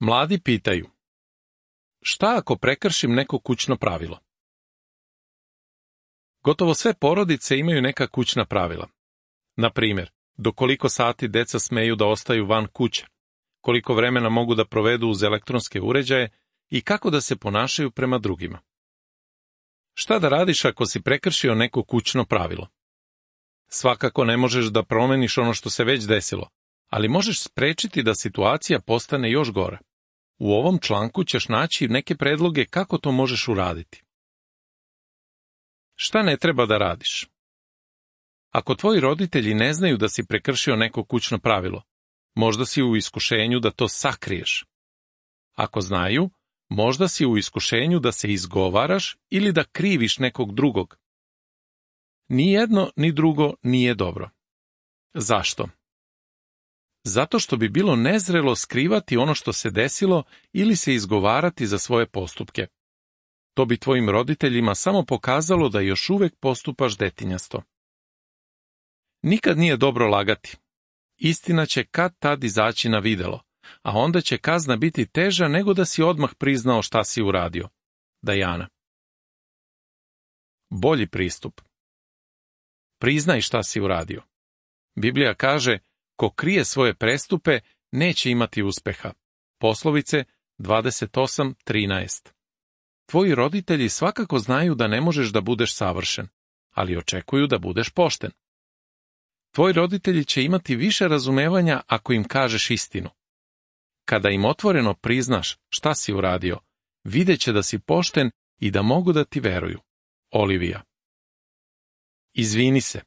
Mladi pitaju: šta ako prekršim neko kućno pravilo? Gotovo sve porodice imaju neka kućna pravila. Na primjer, do koliko sati deca smeju da ostaju van kuće, koliko vremena mogu da provedu uz elektronske uređaje i kako da se ponašaju prema drugima. Šta da radiš ako si prekršio neko kućno pravilo? Svakako ne možeš da promeniš ono što se već desilo, ali možeš sprečiti da situacija postane još gora. U ovom članku ćeš naći neke predloge kako to možeš uraditi. Šta ne treba da radiš? Ako tvoji roditelji ne znaju da si prekršio neko kućno pravilo, možda si u iskušenju da to sakriješ. Ako znaju, možda si u iskušenju da se izgovaraš ili da kriviš nekog drugog. Ni jedno ni drugo nije dobro. Zašto? Zato što bi bilo nezrelo skrivati ono što se desilo ili se izgovarati za svoje postupke. To bi tvojim roditeljima samo pokazalo da još uvek postupaš detinjasto. Nikad nije dobro lagati. Istina će kad tad izaći na videlo, a onda će kazna biti teža nego da si odmah priznao šta si uradio. Dajana. Bolji pristup. Priznaj šta si uradio. Biblija kaže: ko krije svoje prestupe, neće imati uspeha. Poslovice 28:13. Tvoji roditelji svakako znaju da ne možeš da budeš savršen, ali očekuju da budeš pošten. Tvoji roditelji će imati više razumevanja ako im kažeš istinu. Kada im otvoreno priznaš šta si uradio, videće da si pošten i da mogu da ti veruju. Olivija. Izvini se.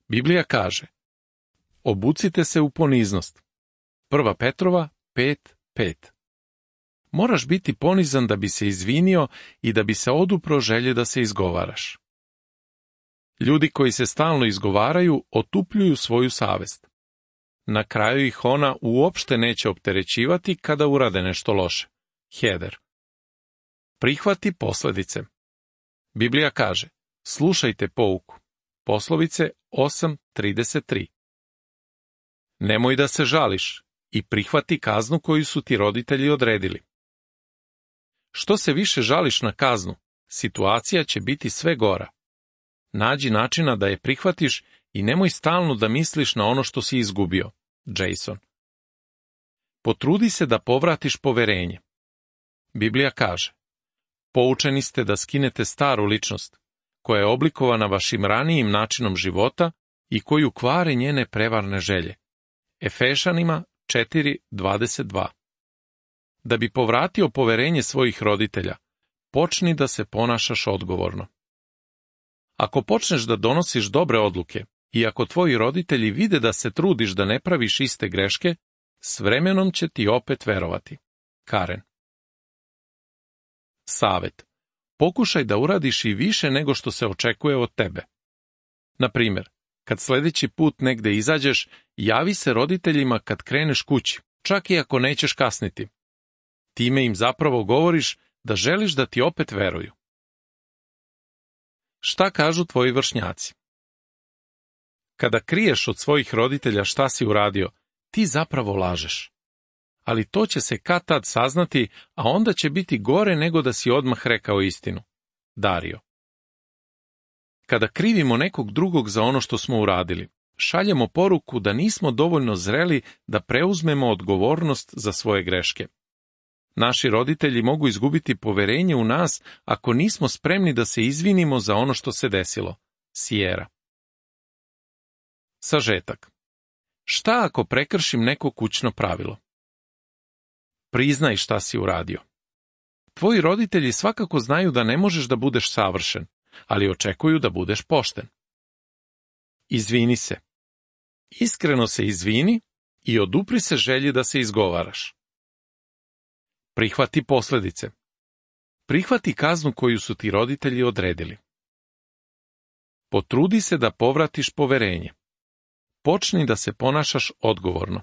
Biblija kaže: obucite se u poniznost. 1. Petrova 5:5. Moraš biti ponizan da bi se izvinio i da bi se odupro želje da se izgovaraš. Ljudi koji se stalno izgovaraju otupljuju svoju savest. Na kraju ih ona uopšte neće opterećivati kada urade nešto loše. Heder. Prihvati posledice. Biblija kaže: slušajte pouku. Poslovice 8:33. Nemoj da se žališ i prihvati kaznu koju su ti roditelji odredili. Što se više žališ na kaznu, situacija će biti sve gora. Nađi načina da je prihvatiš i nemoj stalno da misliš na ono što si izgubio. Jason. Potrudi se da povratiš poverenje. Biblija kaže: poučeni ste da skinete staru ličnost, koja je oblikovana vašim ranijim načinom života i koju kvare njene prevarne želje. Efešanima 4:22. Da bi povratio poverenje svojih roditelja, počni da se ponašaš odgovorno. Ako počneš da donosiš dobre odluke i ako tvoji roditelji vide da se trudiš da ne praviš iste greške, s vremenom će ti opet verovati. Karen. Savet. Pokušaj da uradiš i više nego što se očekuje od tebe. Na primjer, kad sledeći put negde izađeš, javi se roditeljima kad kreneš kući, čak i ako nećeš kasniti. Time im zapravo govoriš da želiš da ti opet veruju. Šta kažu tvoji vršnjaci? Kada kriješ od svojih roditelja šta si uradio, ti zapravo lažeš. Ali to će se kad tad saznati, a onda će biti gore nego da si odmah rekao istinu. Dario. Kada krivimo nekog drugog za ono što smo uradili, šaljemo poruku da nismo dovoljno zreli da preuzmemo odgovornost za svoje greške. Naši roditelji mogu izgubiti poverenje u nas ako nismo spremni da se izvinimo za ono što se desilo. Sijera. Sažetak. Šta ako prekršim neko kućno pravilo? Priznaj šta si uradio. Tvoji roditelji svakako znaju da ne možeš da budeš savršen, ali očekuju da budeš pošten. Izvini se. Iskreno se izvini i odupri se želji da se izgovaraš. Prihvati posledice. Prihvati kaznu koju su ti roditelji odredili. Potrudi se da povratiš poverenje. Počni da se ponašaš odgovorno.